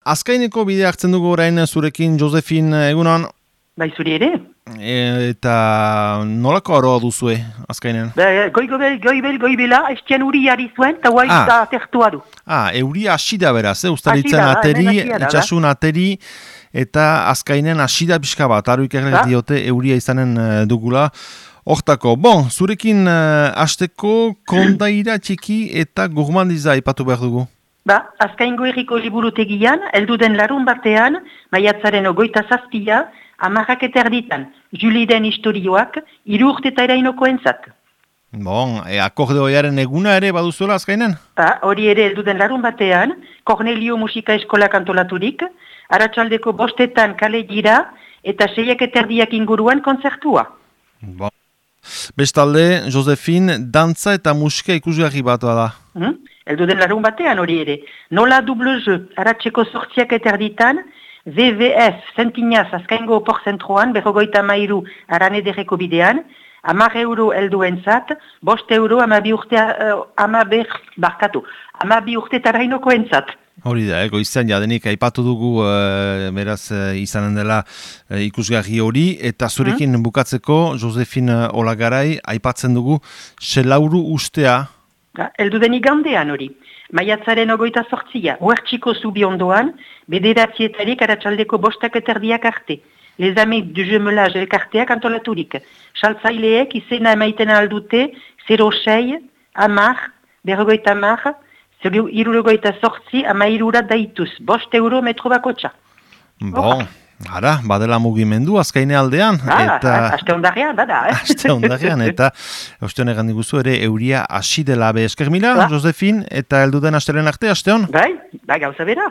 Azkaineko bidea hartzen dugu orain zurekin, Josefin, egunon. Bai, zuri ere? Eta nolako aroa duzue, Azkainen? Goibela, estian uri jari zuen, eta guai da atertua du. Euria asida beraz, ustaritzen ateri, itxasun ateri, eta Azkainen asida pixka bat, aruik errek diote euria izanen dugula. Hortako, zurekin hasteko kondaira txiki eta gourmandiza ipatu behar dugu. Azkaingo herriko liburutegian, elduden larun batean, maiatzaren 27, 10 erditan, Juliden historioak, 3 urteta erainoko entzat. Akordeoiaren eguna ere baduzuela Azkainen? Hori ere elduden larun batean, Cornelio Musika Eskolak antolaturik, arratsaldeko 5 kale gira, eta 6 erdiak inguruan kontzertua. Bestalde, Josefin, dantza eta musika ikusgarri bat da. Elduden larun batean hori ere. Nola double jeu, aratzeko 8 erditan, WWF Zentinaz Azkaingo porzentroan, 53 aranederreko bidean, 10 euro elduentzat, 5 euro 12 urtetara inoko entzat. Hori da, goizean jadenik aipatu dugu beraz izanen dela ikusgarri hori, eta zurekin bukatzeko, Josefin Olagarai, aipatzen dugu selauru ustea. Elduden igandean hori. Maiatzaren 28, Huertxiko zubi ondoan, 9 aratsaldeko 5 erdiak arte. Les Amis du Jumelage elkarteak antolaturik. Saltzaileek izena emaiten aldute 06, 10, 50, 78, 13 daituz. 5 euro metro bakotxa. Badela mugimendu Azkaine aldean. Aste ondarrean, bada. Aste ondarrean, eta oste honegan diguzu ere euria hasi dela be. Esker mila, Josefin, eta elduden astelen arte, aste hon? Bai, gauza bera.